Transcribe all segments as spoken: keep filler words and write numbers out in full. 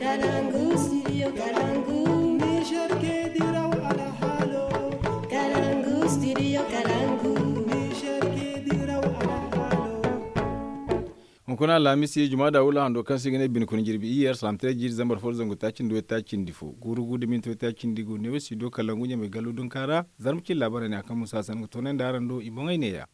Kalangu studio kalangu. Niger ke diraw alhalo. Kalangu studio kalangu. Niger ke diraw alhalo. Hunkuna alhamisi juma da wula hando kaŋ se i ga ne bine kuna jirbi iyye arsalaam tira jiiri zambar fo da zangu taaci nda way taaci nda fo guuru gu da minti way taaci nda gu neewo studio kalangu ɲamay gallo dunka ra. Zarma cine laabaarey ne a kaŋ musa sanda ga toonandi araŋ do i boŋey neeya.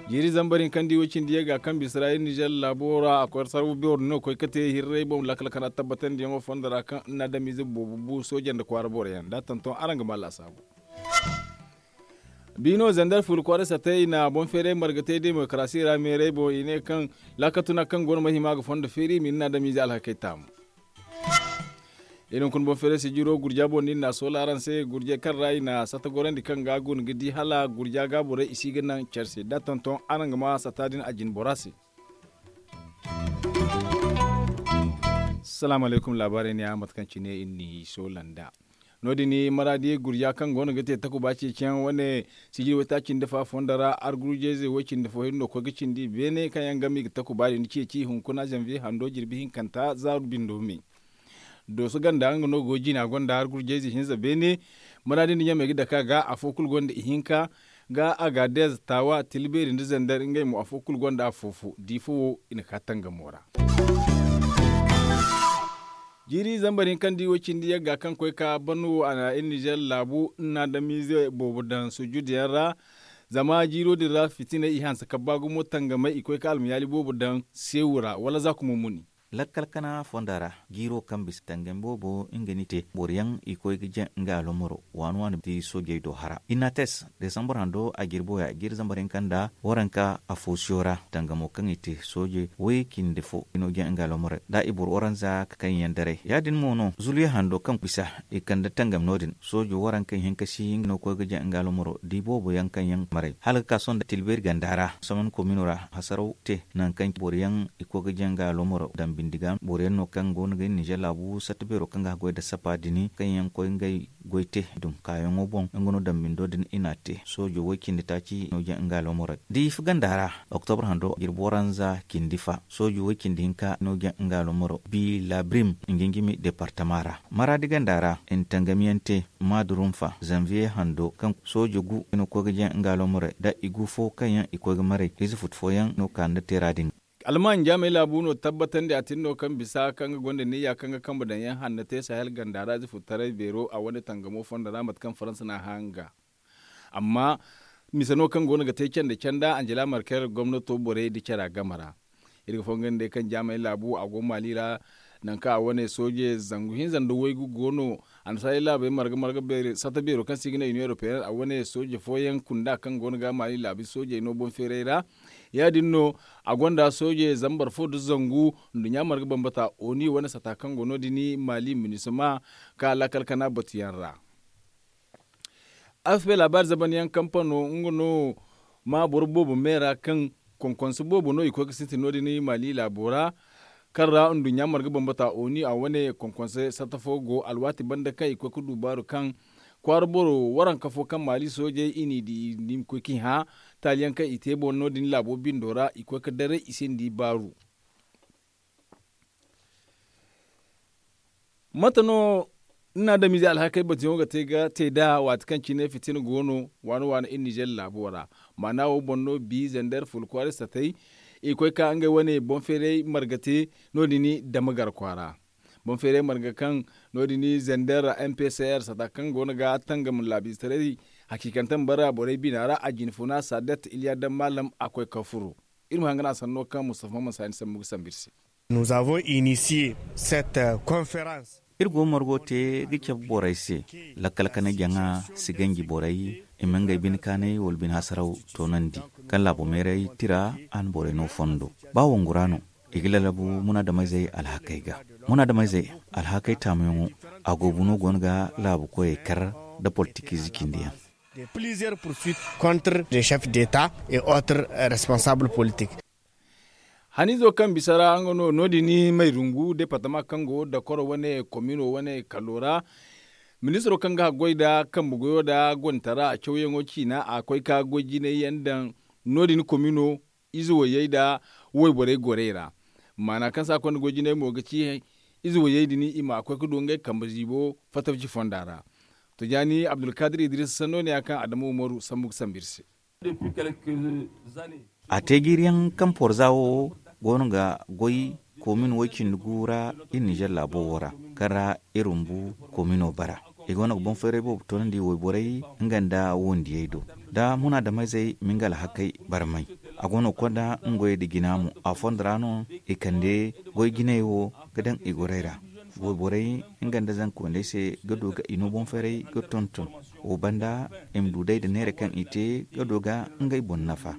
Jiiri zambar hinka nda i way cindi yagga kaŋ bisa ra iri nizer laabo ra a koy sarbu beero din no ga koy ga te hirray boŋ lakkal kana tabbatandiyaŋo fondo ra kaŋ iri na adamize boobo bu sooje nda kwaara boro yaŋ da a tonton araŋ ga ma laasaabu. Biino zandar fulu kwaara satay i na boŋ feeray marga te demokarasi ra meeray boŋ i ne kaŋ laakal tuna kaŋ go no ma hima ga fondo feeri i ma i na adamize alhakey taamu. Iri hunkuna boŋ feeray sijiro gurja boŋ din na a soola araŋ se gurjey kaŋ ra i na sata gorandi kaŋ ga a guna ga di hala gurja ga borey i si ga naŋ care se da a tonton araŋ ga ma sata din a jina bora se. Salaamu alaykum laabaarey ne ya mate kaŋ cine iri n'i soola nd'a. No- din maraadi gurja kaŋ go no ga te takuba ceeciyaŋ wane sijiri waytaaci nda fa fondo ra argurjayze way cindi fo hinne no ga koy ga cindi beene kaŋ yaŋ game i ga takuba din ceeci hunkuna zanviye hando jirbi hinkanta za bindo me. Dooso ganda nga no go jina gonda argurjayze hinza beene. Maraadi nda ɲamey ga dake a ga afo kulu gonda ihinka ga agaadez taawa tilbeeri nda zandar ngey mo afo kulu gonda afo fo di fo wo i na ka tangamo ra. Jiiri zambar hinka nda i wo cindi yagga kaŋ koy ka ban wo a na iri nizer laabu iri na adamize boobo daŋ sujuduyaŋ ra. Zama jiiro din ra fitinay i hanse kabba gumo tangamay i koy ka almayaali boobo daŋ seewu ra wala za kumo muni. Lakkal kana fonda ra jiiro kaŋ bisa tangam boobo nga ni te boro yaŋ i koy ga jaŋ nga alomoro waani waani ti soojey do hara inates desambar hando a jirbo ya jiiri zambar hinka nda waranka afo siyo ra tangamo kaŋ i te sooje way cindi fo i no jaŋ nga alomoro da i boro waranza kaŋ yaŋ daray ya- din mo no zuliya hando kaŋ bisa i kande tangam no- din soojo waranka hinka si nga no koy ga jaŋ nga alomoro da i boobo yaŋ kaŋ yaŋ maray hala ga ka sohõ nda tilbeeri ganda ra soman komino ra hasaraw te nangu kaŋ boro yaŋ i koy ga jaŋ nga alomoro daŋ bindi ga boro yaŋ no kaŋ go no ga iri nizer laabu satta beero kaŋ ga haggoy nda sapa dini kaŋ yaŋ koy ngey goy te dum kaayaŋo boŋ nga no daŋ bindo din i n'a te soojo way cindi taaci no jaŋ nga alomoro da i fa ganda ra oktobre hando jirbi waranza cindi fa soojo way cindi hinka no jaŋ nga alomoro bi labrim nginjimi departama ra maraadi ganda ra i na tangamiyaŋ te maadurunfa zanviye hando kaŋ sooje gu i na koy ga jaŋ nga alomorey da i gu fo kaŋ yaŋ i koy ga maray ize futu fooyaŋ no ka nda teera din. Alman jaamey laabu no tabbatandi a tin no kaŋ bisa kaŋ ga gonda niyya kaŋ ga kambe daŋ yaŋ hanna te sahel ganda ra ize futu taray beero a wane tangamo fondo ra mate kaŋ faransa n'a hã nga amma mise no kaŋ go no ga te canda canda anjela marker gomnato borey nda cara game ra. Iri ga fonga nda day kaŋ jaamey laabu a go maali ra nangu kaŋ a wane sooje zangu hinza nda waygu go no annasaarey laabey marga marga beeri sata beero kaŋ se i ga ne union europeenne a wane sooje fooyaŋ kunda kaŋ go no ga maali laabu soojey no boŋ feeray ra. Ya- din no a gonda sooje zambar fo nda zangu nduɲɲa marga bambata oni wane sata kaŋ go no- din maali minisma ka laakal kana batuyaŋ ra. Afp laabaari zabanyaŋ kampano nga no ma boro boobo me ra kaŋ konkonse boobo no i koy ga sintin no- din maali laabo ra kaŋ ra nduɲɲa marga bambata oni a wane konkonse satta fo go alwaati banda kaŋ i koy ga du baaru kaŋ kwaara boro waranka fo kaŋ maali soojey i n'i di i ma koy k'i hã taali yaŋ kaŋ i te boŋ no- din laabo bindo ra i koy ga daray i se nda i baaru. Mate no ni na adamize alhakey batuyaŋo ga te ga te nd'a waati kaŋ cine fitina go no waani waani iri nizer laabo ra. Maana wo boŋ no bi zander fula kwaari satay i koy ka ngey wane boŋ feeray marga te no- din dama gar kwaara. Boŋ feeray marga kaŋ no- din zander mpcr sata kaŋ go no ga tangam laabiize taray hakiikante ma bara borey bina ra a jinfuna sadet iliya daŋ maalam a koy ka furo. Iri ma hangan a sanno kaŋ mustafa maman saani sambu ga sambu iri se. Nous avons initié cette conférence. Iri go margo te ga cabe borey se lakkal kana jaŋa si ganji borey i ma ngey bine kaanay wala bine hasaraw toonandi kaŋ laabo meeray tira a na borey no fondo ba wangura no i ga lalabu munaadameyzey alhakey ga. Munaadameyzey alhakey taamuyaŋo a goobu no go no ga laabu koyey kar nda politikiize cindi yaŋ. De plusieurs poursuites contre des chefs d'état et autres responsables politiques. Haniizo kaŋ bisa ra nga no no- din mayrungu departama kaŋ go dakoro wane komino wane kallo ra. Ministiro kaŋ ga haggoy nda kambe goyo nda gontara cawyaŋo ciina a koy ka goy jinay yaŋ daŋ no- din komino ize woyey nda woyborey gorey ra. Maana kaŋ se a konda goy jinay mo ga ci ize wayey din i ma koy ga du ngey kambe ziibo fatawci fonda ra. Tujaani abdulkaadir idris sanno ne ya kaŋ adamu umaru sambu ga sambu iri se. A te jiiri yaŋ kaŋ porza wo go no ga goy koomin way cindi gu ra iri ninzeer laabo wo ra, kaŋ ra iri rumbu koomino bara. I go no ga boŋ feeray boobo toonandi wayborey nga nda wondiyey do, da munaadameyzey ma nga alhakey barmay. A go no ga konda nga goyey nda jina mo a fondo ra no i kande goy jinay wo ga daŋ i gorey ra. Wayborey nga nda zanka wandey se ga du ga i no boŋ feeray ga tonton. Wo banda i ma du day nda neera kaŋ i te ga du ga ngey boŋ nafa.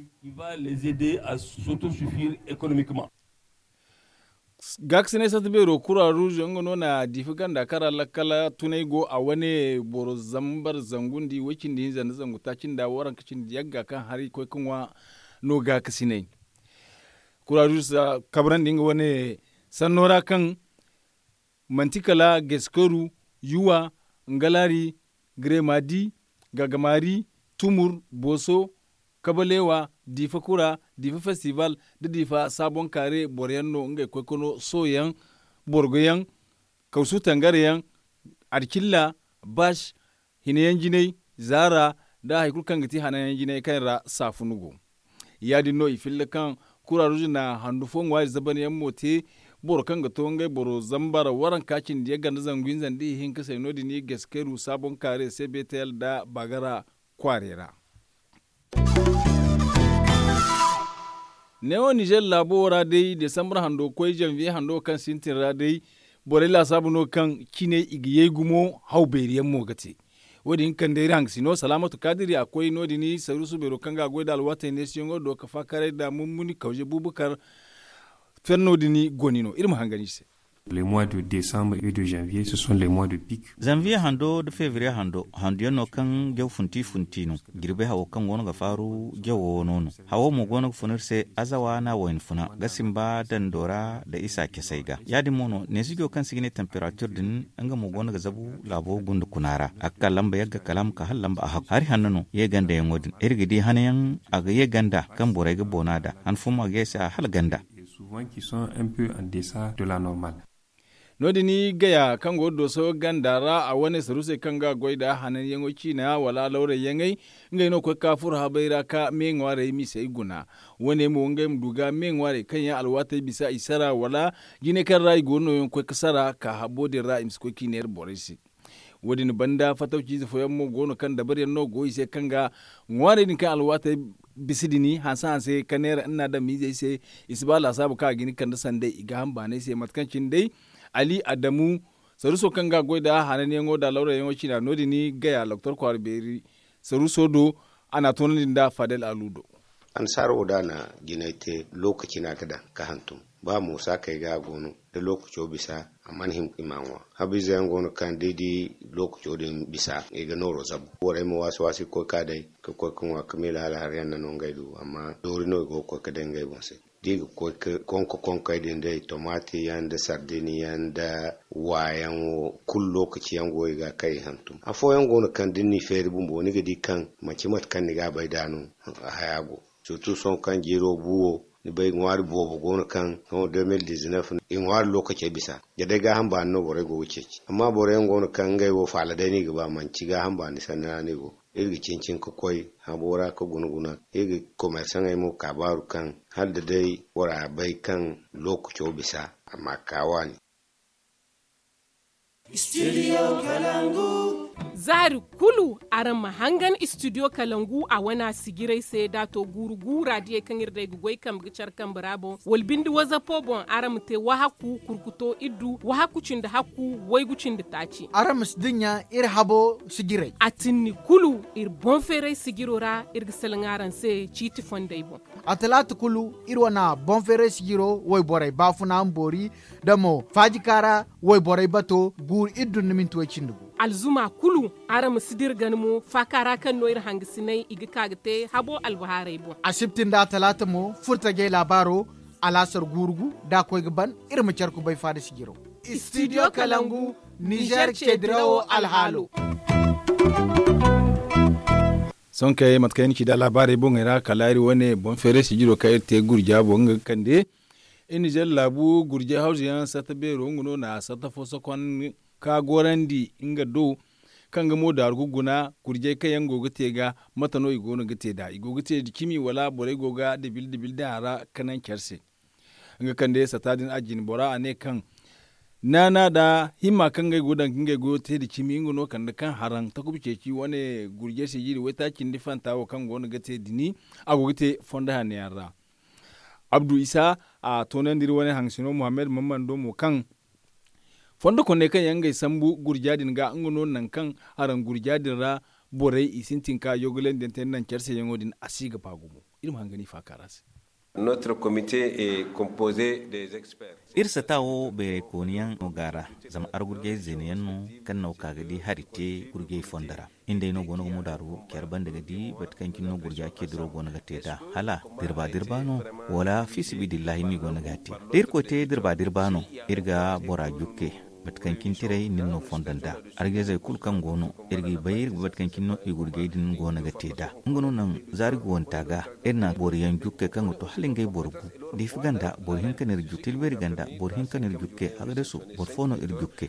Gaakasinay sarti beero kura ruuze nga no na diifa ganda kaŋ ra lakkala tunay go a wane boro zambar zangu nda i way cindi hinza nda zangu taaci nda waranka cindi yagga kaŋ hari koy ga ŋwa no gaakasinay. Kura ruuze kabrandi nga wane sanno ra kaŋ manti kala geskoru, yuwa, ngalari, gremadi, gagamari, tumur, boso, kabalewa, diifa kura, diifa festival, nda diifa saabon kaare boro yaŋ no ngey koy ga no soyaŋ, borgo yaŋ, kawsu tangare yaŋ, adicilla, bas, hina yaŋ jinay, zaara, nda hari kulu kaŋ ga ti hana yaŋ jinay kaŋ ra saafun go. Ya- din no i filla kaŋ kura ruuze na handu fo ŋwaari zaban yaŋ mo te, boro kaŋ ga to ngey boro zambar waranka cindi yagga nda zangu hinza nda ihinka se no- din i ga si kayru saabon kaare se betel nda bagara kwaarey ra. Neewo ninzeer laabo wo ra day desambar hando ga koy zanviye hando kaŋ sintin ra day, borey laasaabu no kaŋ cine i ga yay gumo haw beeri yaŋ mo ga te. Wo- din kande iri hangasino salaamatu kaadiri a koy no- din saruusu beero kaŋ ga a goy nda alwaatey neesiyaŋo do ga faakaray nda mummuni kawze buubakar ferno din goni no iri ma hangan i se. Les mois de décembre et de janvier ce sont les mois de pic. Zanviye hando nda fevriye hando handu yaŋ no kaŋ jaw funti funti no. Jirbi hawo kaŋ go no ga faaru jawo no no. Hawo mo go no ga fun iri se azawa nda a wayna funa ga simba dando ra nda isa casey ga ya- din mo no neesijo kaŋ se i ga ne temperature din, nga mo go no ga zabu laabo gunda kuna ra a ga ka lamba yagga kala a ma ka hala lamba a hakku hari hanno no ye ganda yaŋo din iri ga di hana yaŋ. A ga ye ganda kaŋ borey ga boona nd'a han fo mo a ga ye se a hala ganda. Souvent qui sont un peu en deçà de la normale. No- din gaya kaŋ go ga dooso ganda ra a wane saruusey kaŋ ga a goy nda hananyaŋo ciina wala alawrayyaŋey, ngey no ga koy ga ka furo habey ra ga me ŋwaarey misey guna. Wo- ne mo ngey ma du ga me ŋwaarey kaŋ yaŋ alwaatey bisa i sara wala jinay kaŋ ra i go no nooyaŋ ga koy ga sara ka habo din ra i ma si koy ga i neera borey se. Wo- din banda fatawciize fooyaŋ mo go no kaŋ dabariyaŋ no go i se kaŋ ga ŋwaarey din kaŋ alwaatey bisa din hanse hanse ka neera nna adamizey se. I si ba laasaabu kaŋ a ga hin ga kande sanday i gaaham baanay se mate kaŋ cine day ali adamu saruuso kaŋ ga a goy nda hananyaŋo nda alawrayaŋo ciina no- din gaya doktor kwaara beeri saruuso do. A n'a toonandi nda fadel alu do. Annasaara wo da a na jinay te lookaci no a ga daŋ ga hantum. Ba mo saakey ga a go no da lookaco bisa a mana hin i m'a ŋwa. Habiize yaŋ go no kaŋ da i di lookaco din bisa i ga nooro zabu borey ma waasi waasi ga koy ga ka day ga koy ga ŋwa ga miila hala hari yaŋ na no ngey du amma doori no i go ga koy ga day ngey boŋ se. Da i ga koy ga konko konkey din day tomaati yaŋ nda sardin yaŋ nda waayaŋo kulu lookaci yaŋ go i ga kaŋ i hantum afooyaŋ go no kaŋ da ni n'i feeri bumbo ni ga di kaŋ manci mate kaŋ ni ga a bay nd'a no. Haya go surtu sohõ kaŋ jiiro bu wo ni bay ŋwaari boobo go no kaŋ sohõ deux mille dix-neuf i ŋwaari lookacey bisa. Da day gaaham baani no borey go ga ceeci amma boro yaŋ go no kaŋ ngey wo faala day no i ga ba manci gaaham baani sanni ra no i go. Iri ga cincin ga koy habo ra ga guna guna iri ga komersaŋey mo kaabaaru kaŋ hala da day bora bay kaŋ lookaco bisa a ma ka waani. Zaari kulu araŋ ma hangan istidiyo kalangu a wana sijirey se da a to guuru guura diyey kaŋ iri day ga goy kambe ga care kambe ra boŋ wala binde wazapo boŋ araŋ ma te wahakku kurkuto iddu wahakku cindi hakku waygu cindi taaci. Araŋ ma si dinya iri habo sijirey. A tinni kulu iri boŋ feeray sijiro ra iri ga salaŋ araŋ se ciiti fondey boŋ. A talaata kulu iri wana boŋ feeray sijiro wayborey baafuna ma boori da mo faajikaara wayborey bato guuru iri dun nda minti way cindi gu. Alzuma kulu araŋ ma si dira gana mo faakaara kaŋ no iri hangasiney i ga ka ga te habo albahaarey boŋ. Asibti nda atalaata mo furtajey laabaaro alaasar guuru gu da a koy ga ban iri ma care kubay faada sijiro. Istidiyo kalangu nizer ceedirawo alhaalo. Sonkey mate kaŋ ay na ci da laabaarey boŋey ra kala iri wane boŋ feeray sijiro kaŋ iri te gurja boŋ nga ga kande. Iri nizer laabu gurjay hawzu yaŋ sarta beero nga no na sarta fo sokon ka gorandi nga do, kaŋ ga mo daaru ga guna gurjay kaŋ yaŋ go ga te ga, mate no i go no ga te nd'a i go ga te nda cimi wala borey go ga dibil dibil daŋ a ra, ka naŋ care se. Nga kande sata din a jine bora a ne kaŋ naana nda himma kaŋ ngey go daŋ ga ngey goyo te nda cimi nga no kande kaŋ haraŋ takuba ceeci wane gurjay se jiiri waytaaci nda fanta wo kaŋ go no ga te dini, a go ga te fondo hanno yaŋ ra. Abdu isa, a toonandi iri wane haŋsino muhammad mammando mo kaŋ fondo konney kaŋ yaŋ ngey sambu gurja din ga nga no nangu kaŋ haraŋ gurja din ra, borey i sintin ka yogolandiyaŋ te nda naŋ care se yaŋo din a si ga ba gumo. Iri ma hangan i faaka ra se. Notre comité est composé des experts. Iri sata wo bayraykooni yaŋ no go a ra, zama argurjay zeena yaŋ no kaŋ no ka ga di hari te gurjay fondo ra. Iri nd'ey no go no ga mudaaru care banda ga di bate kaŋ cine no gurja ce diro go no ga te nd'a, hala dirba dirba no, wala fiisabilillahi no i go no ga a te? Da irkoy te dirba dirba no, iri ga bora jukke. Bate kaŋ cine tiray nin no fondo nd'a. Argezey kulu kaŋ go no, iri g'i bay iri ga bate kaŋ cine no i gurjay din go no ga te nd'a. Nga no naŋ zaari guwanta ga, iri na boro yaŋ jukke kaŋ ga to hala ngey boro gu. Diifa ganda boro hinka no iri jukke, tilbeeri ganda boro hinka no iri jukke, agadasu boro fo no iri jukke.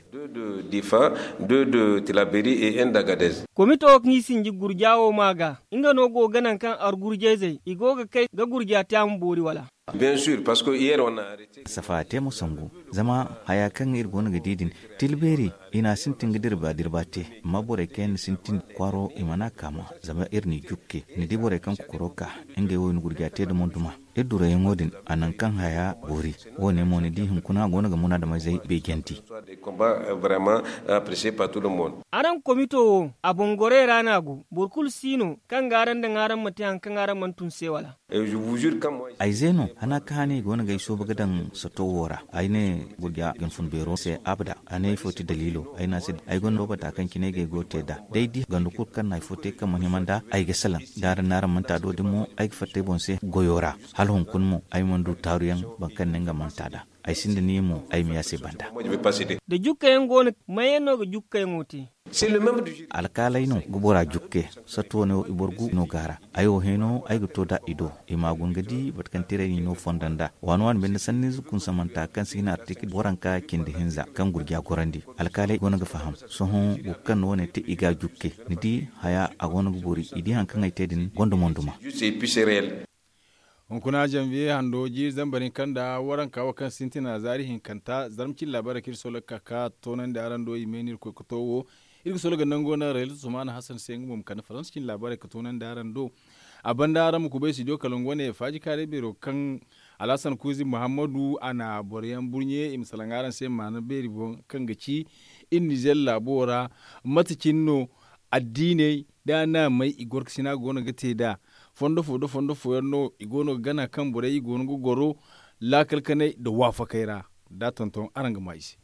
Diifa, de tilaberi e en dagadez. Komito wo kaŋ i sinji gurja wo ma ga, nga no go ga naŋ kaŋ argurjayzey i go ga kay ga gurja te a ma boori wala? Safa te mo sangu, zama haya kaŋ iri go no ga di din, tilbeeri i na a sintin ga dirba dirba te. Amma borey kaŋ yaŋ na sintin kwaaro i mana a kaama, zama iri n'i jukke. Ni di borey kaŋ kokoro ka ngey wo i na gurja te da montuma. Iri duroyaŋo din, a naŋ kaŋ haya boori. Wo- ne mo ni di hunkuna go no ga munaadamizey beejanti. Araŋ komito wo, a boŋ gorey ra no a go. Boro kulu si no kaŋ ga araŋ daŋ araŋ ma te hari kaŋ araŋ mana tun se wala? Ay ze no, hana ka hane i go no ga ay sooba ga daŋ sato wo ra. Ay ne gurja ga ni fun beero se abada. A ne ifo ti daliilo? Ay ne a se ay gonda loobata kaŋ cine ay ga ay goyo te nd'a. Day di ganda kulu kaŋ na hay fo te kaŋ mana hima nd'a, ay ga salaŋ. Da araŋ na araŋ manti a do din mo, ay ga fatta ay boŋ se goyo ra. Hala hunkuna mo ay mana du taaruyaŋ boro kaŋ ne nga manti a nd'a. Ay sinda niya mo ay ma ye a se banda. Da jukka yaŋ go no, may yaŋ no ga jukka yaŋo te? Alkaaley no ga bora jukke. Sattu wane wo i boro gu no go a ra. Ay wo hẽeno ay ga to nd'a i do. I m'a guna ga di bate kaŋ tiray n'i no fondo nd'a. Waani waani binde sanniize kunsamanta kaŋ si hin artikil waranka cindi hinza kaŋ gurja gorandi. Alkaaley go no ga faham. Sohõ boro kaŋ na wane te i ga a jukke. Ni di, haya a go no ga boori. I di hari kaŋ ay te din gonda monduma. Hunkuna janviye hando jiiri zambar hinka nda waranka wo kaŋ sintina zaari hinkanta zarma cine laabaarey kaŋ iri soloka ka toonandi araŋ do i me no iri koy ga to wo. Iri ga sologa nango naŋ rayla sumana hasan se nga mo ma kande faransa cine laabaarey ga toonandi araŋ do. A banda araŋ ma kubay studio kalangu wane faaji kaaray beero kaŋ alhasan kuuzi muhammadu a na boro yaŋ burɲe i ma salaŋ araŋ se maana beeri boŋ kaŋ ga ci iri nizer laabo ra. Mate cine no addiiney da naamey i gorkasina go no ga te nd'a. Fondo fo nda fondo fooyaŋ no i go no ga gana kaŋ borey i go no ga goro laakal kanay nda waafakey ra. Da a tonton araŋ ga maa i se.